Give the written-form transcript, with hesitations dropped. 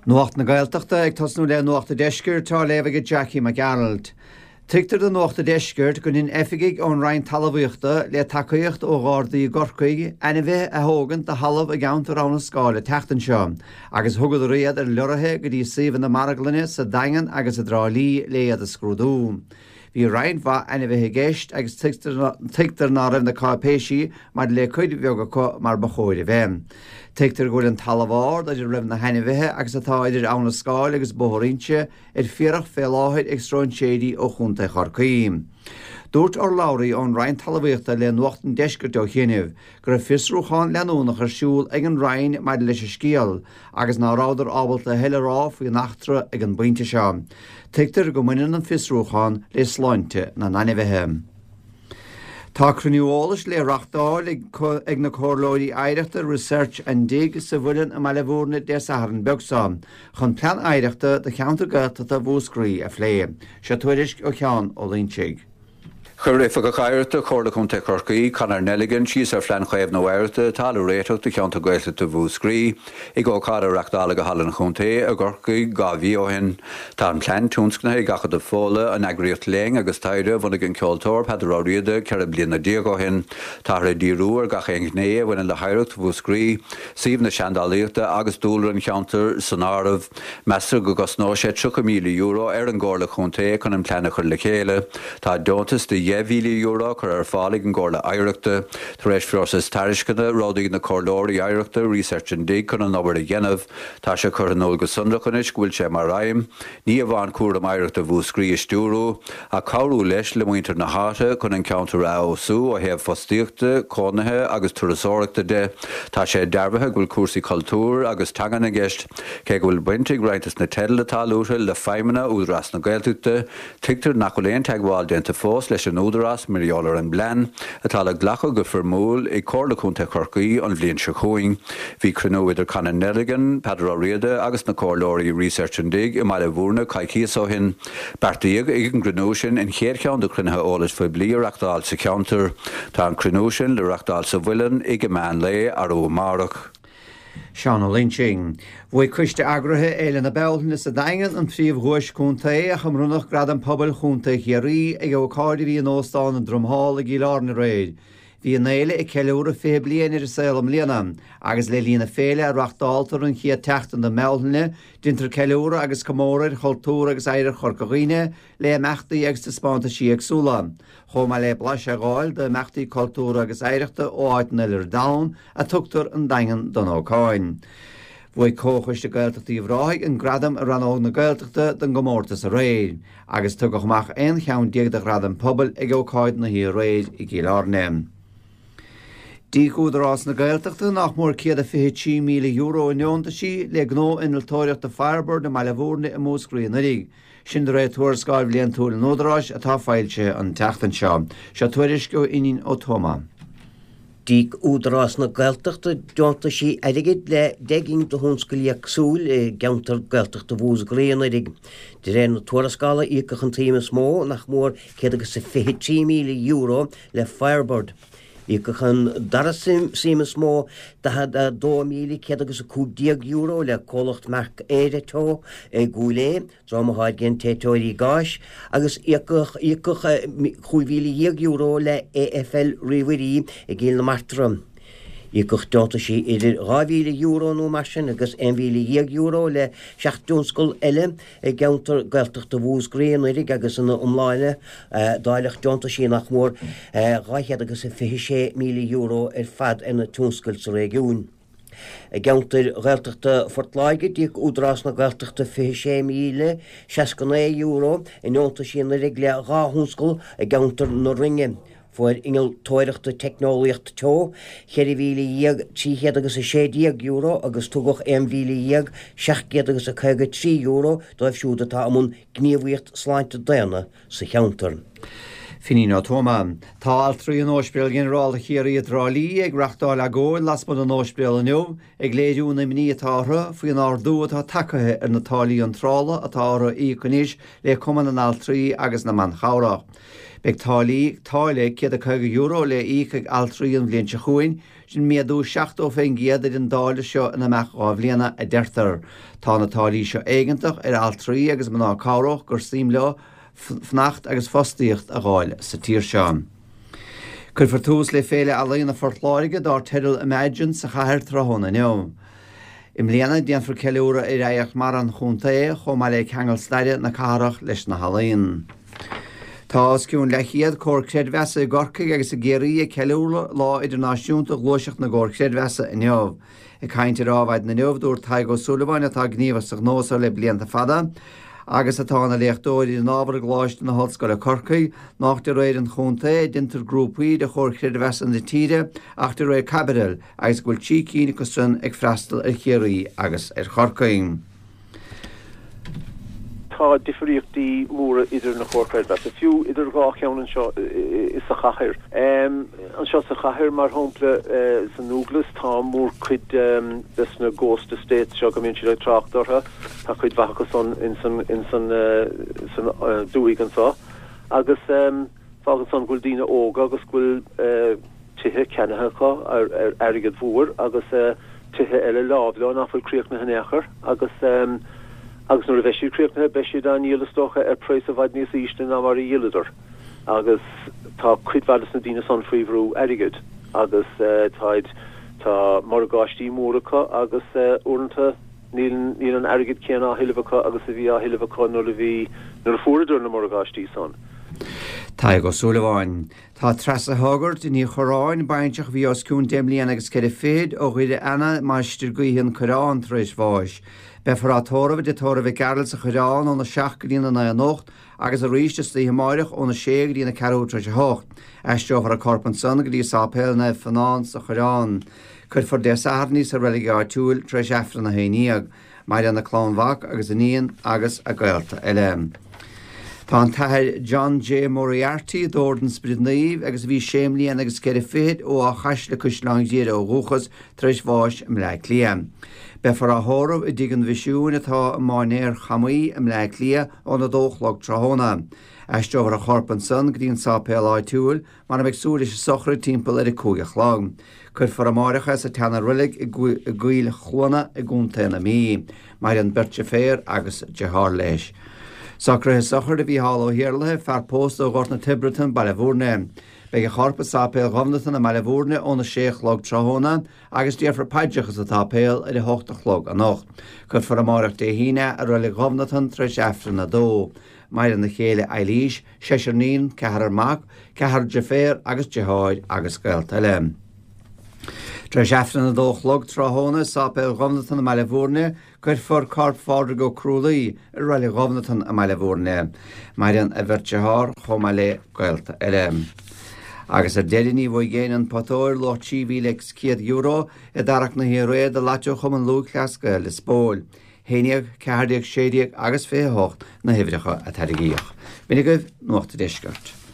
Nuacht na Gaeltachta, ag tosnú le Nuacht a' Deiscirt, á léamh ag Jackie Mac Gearailt. Tuigtear do Nuacht a' Deiscirt go ndein oifigigh ón Roinn Talmhaíochta, le tacaíocht ó Ghardaí i gCorcaigh, ainmhithe a thógaint de thalamh i gceantar Abha na Scáil an tseachtain seo agus thugadar iad ar leoraithe go dtí suíomhanna marglainne sa Daingean agus i dTrá Lí le iad a scrúdú. Bhí roinnt mhaith ainmhithe i gceist agus tuigtear ná raibh na cáipéisí maidir le cuid bheag acu mar ba chóir a bheith. Tuigtear go bhfuil an talamh ard ar a raibh na hainmhithe agus atá idir Abha na Scáil agus Bóthar Inse ar fiarach fé láthair ag stróinséirí ó Chontae Chorcaí. Dúirt urlabhraí ón Roinn Talmhaíochta le Nuacht an Deiscirt ó chianaibh go raibh fiosrúchán leanúnach ar siúl ag an Roinn maidir leis an scéal agus ná rabhadar ábalta a thuilleadh a rá faoin eachtra ag an bpointe seo. Tuigtear go mbaineann an fiosrúchán le sláinte na n-ainmhithe. Tá cruinniú eolais le reachtáil ag na Comhairleoirí Oidhreachta Research and Dig sa Mhuileann i mBaile Bhúirne Dé Sathairn beag seo chun Plean Oidhreachta do cheantar Gaeltachta Mhúscraí a phlé. Seo tuairisc ó Sheán Ó Loingsigh. Chuir Oifigeach Oidhreachta Chomhairle Contae Chorcaí, Conor Nelligan, síos ar Phlean Chaomhnú Oidhreachta atá le réiteach do cheantar Gaeltachta Mhúscraí ag ócáid a reachtáladh i Halla an Chontae i gCorcaigh 2 mhí ó shin. Tá an plean tionscnaithe ag Acadamh Fódhla, an eagraíocht léinn agus taighde a bhunaigh an ceoltóir Peadar Ó Riada 14 bliana ó shin. Táthar ag díriú ar gach aon ghné a bhaineann le hoidhreacht Mhúscraí, suíomh na seandálaíochta agus dúlra an cheantair san áireamh. Meastar go gcosnóidh sé €30,000 ar an gComhairle Chontae chun an plean a chur le chéile. Tá deontas de €10,000 curtha ar fáil ag an gComhairle Oidhreachta. Tar éis phróiseas tairisceana, roghnaíodh na Comhairleoirí Oidhreachta, Research and Dig chun an obair a dhéanamh. Tá sé curtha in iúl go sonrach anois go bhfuil sé mar aidhm, ní amháin cúram oidhreachta Mhúscraí a stiúrú, ach cabhrú leis le muintir na háite chun an ceantar a fheabhsú ó thaobh fostaíochta, cónaithe agus turasóireachta de. Tá sé dearbhaithe go bhfuil cúrsaí cultúir agus teangan i gceist. Cé go bhfuil baint ag roinnt des na teidil atá luaite le feidhmeanna Údarás na Gaeltachta, tuigtear nach bhfuil aon teagmháil déanta fós leis an Údarás mar gheall ar an bplean, atá le glacadh go foirmiúil ag Comhairle Contae Chorcaí an bhliain seo chugainn. Bhí cruinniú idir Conor Nelligan, Peadar Ó Riada agus na Comhairleoirí Research and Dig i mBaile Bhúirne coicíos ó shin. Beartaíodh ag an gcruinniú sin an chéad cheann de chruinnithe eolais phoiblí a reachtáil sa cheantar. Tá an cruinniú sin le reachtáil sa Mhuileann ag an meán lae arú amárach. Seán Ó Loingsigh. Bhuaigh coiste eagraithe Fhéile na Bealtaine sa Daingean an phríomh-dhuais contae ach a mbronnadh Gradam Pobail Chontae Chiarraí ag ócáid a bhí in Óstán an Drum Hall i gCill Airne aréir. Bhí an fhéile ag ceiliúradh 20 bliain ar an saol i mbliana agus le linn na féile a reachtáltar an chéad tseachtain de mBealtaine, déantar ceiliúradh agus comóradh ar chultúr agus oidhreacht Chorca Dhuibhne le imeachtaí agus taispeántaisí éagsúla, chomh maith le blaiseadh a fháil d'imeachtaí cultúrtha agus oidhreachta ó áiteanna eile ar domhan a tugtar an Daingean don ócáid. Bhuaigh Comhchoiste Gaeltachta Uíbh Ráthaigh an gradam i rannóg na Gaeltachta don gcomórtas aréir, agus tugadh amach 11 cheann de ghradaim pobail ag ócáid na hoíche aréir i gCill Airne. D'íoc Údarás na Gaeltachta nach mór €123,000 i ndeontaisí le gnó innealtóireachta Firebird i mBaile Bhúirne i Múscraí anuraidh. Sin de réir tuarascáil bhliantúil an Údaráis atá foilsithe an tseachtain seo. Seo tuairisc ó Fhínín Ó Tuama. D'íoc Údarás na Gaeltachta deontaisí airgid le 10 gcinn de thionscail éagsúil i gceantar Gaeltachta Mhúscraí anuraidh. De réir na tuarascála, íocadh an tsuim is mó, nach mór €123,000, le Firebird. Íocadh an dara suim is mó, €42,115, le comhlacht Mark Éire Teo i gCúil Aodha, dream a tháirgeann téiteoirí gáis, agus íocadh €15,000 le AFL Ríomhairí i gCill na Martra. Íocadh deontaisí idir €2,000 nó mar sin agus €11,000 le 7 dtionscal eile i gceantar Gaeltachta Mhúscraí anuraidh agus ina iomláine dáileadh deontaisí nach mór €226,000 ar fad ar na tionscail sa réigiún. I gceantair Ghaeltachta Phort Láirge, d'íoc Údarás na Gaeltachta €26,069 i ndeontaisí anuraidh le 2 thionscal i gceantar na Rinne. Fuair Innealtóireachta Teicneolaíocht Teo. €14,316 agus tugadh €11,753 dóibh siúd atá i mbun gníomhaíocht sláinte daonna sa cheantar. Finín Ó Tuama. Tá altraí in Ospidéal Ghinearálta Chiarraí i dTrá Lí ag reachtáil agóid lasmuigh den ospidéal inniu ag léiriú an imní atá orthu faoin ardú atá tagtha ar na táillí iontrála atá orthu a íoc anois le Cumann na nAltraí agus na mBan Chabhrach. Beidh táillí, táille €150 le íoc ag altraí an bhliain seo chugainn. Sin méadú 70% ar an dtáille seo in imeacht 2 bhliana, a deirtear. Tá na táillí seo éigeantach ar altraí agus mná cabhrach gur suim leo fanacht agus fostaíocht a dh'fháil sa tír seo. Cuirfear tús le Féile Ealaíona Phort Láirge dár teideal Imagine sa chathair tráthnóna inniu. I mbliana, déanfar ceiliúradh ar oidhreacht mara an chontae, chomh maith le ceangal staire na cathrach leis na healaíona. Tá os cionn leathchéad comhar creidmheasa i gCorcaigh agus i gCiarraí ag ceiliúradh Lá Idirnáisiúnta Ghluaiseacht na gComhar Creidmheasa inniu. Ag caint ar Adhmhaidin inniu, dúirt Tadhg Ó Súilleabháin, atá gníomhach sa ghnó seo le blianta fada agus atá ina léachtóir ar an ábhar i gColáiste na hOllscoile Corcaigh, nách de réir an chontae a deintear grúpaí de chomhair chreidmheasa na tíre ach de réir caibitil agus go bhfuil 3 cinn acu san ag freastal ar Chiarraí agus ar Chorcaigh. Tá difríochtaí móra idir na comhair chreidmheasa, fiú idir dhá cheann anseo sa chathair. Anseo sa chathair, mar shampla, sa Dúglas, tá mórchuid des na ghost estates seo go mbíonn siad ag trácht orthu, tá cuid mhaith acu san ins an dúthaigh anseo agus fágann san go bhfuil daoine óga agus go bhfuil tithe ceannaithe acu ar airgead mhór agus tithe eile láimh leo nach bhfuil críochnaithe in aon chor agus agus nuair a bheidh siad críochnaithe beidh siad á ndíol is dócha ar praghas i bhfad níos ísle ná mar a dhíoladar agus tá cuid mhaith des na daoine san faoi bhrú airgid agus táid tá morgáistí móra acu agus uaireanta níl níl an airgead céanna á thuilleamh acu agus a bhí á thuilleamh acu nuair a bhí nuair a fuaireadar na morgáistí san. Tadhg Ó Súilleabháin. Tá Treasa Hoggart Ní Chorráin, baintreach a bhí os cionn deich mbliana agus ceithre fichid, ó Dhoire Eanna, Mainistir Gaoithe an Coireán, tar éis bháis. Beifear á tórramh i dTigh Tórraimh Mhic Gearailt sa Choireán óna 7 go dtí na 9 anocht agus arís istoíche amáireach óna 6 go dtí na ceathrú tar éis a hocht. Aistreofar a corp ansan go dtí Sáipéal Naomh Fionán sa Choireán. Cuirfear Dé Sathairn í sa reilig áitiúil tar éis Aifreann a haon dhéag. Maireann a clann mhac agus iníon agus a gaolta eile. Tá an tAthair John J. Moriarty d'Ord an Sprid Naoimh agus a bhí sé mbliana agus ceithre fichid ó Áth Chaisle Caisleán Ghriaire ó dhúchas tar éis bháis i mBleá Cliath. Beifear á thórramh i dTigh an Mhisiúin atá i Mainéar Chamaí i mBleá Cliath óna dó a chlog tráthnóna. Aistreofar a chorp ansan go dtí an sáipéal áitiúil mar a mbeidh súil leis an sochraid timpeall ar a 5 a chlog. Cuirfear amáireach é sa tseana-reilig i gCoill Chluana i gContae na Mí. Maireann beirt deirféar agus deartháir leis. Socruithe sochraide Mhícheál Ó hIarlaithe, fear pósta ó Ghort na Tiobratan, Baile Bhúirne. Beidh a chorp i Sáipéal Ghobnatan i mBaile Bhúirne óna sé a chlog tráthnóna agus déarfar paidreacha sa tsáipéal ar a hocht a chlog anocht. Cuirfear amáireach Dé hAoine é i Reilig Ghobnatan tar éis Aifreann a dó. Maireann a chéile Eilís, seisear níon, ceathrar mac, ceathrar deirféar agus deartháir agus gaolta eile. Tar éis Aifreann a dó a chlog tráthnóna i Sáipéal Ghobnatan i mBaile Bhúirne, cuirfear corp Phádraig Ó Crualaoí i Reilig Ghobnatan i mBaile Bhúirne. Maireann a bheirt dearthár chomh maith le gaolta eile. Agus ar deireadh ní bhuaigh éinne an pota óir luach €3,100 i dtarrac na hoíche aréir do Lató Chumann Lúthchleas Gael Lios Póil. 11, 14, 16 agus 28 na huimhreacha a tarraingíodh. B'in agaibh Nuacht an Deiscirt.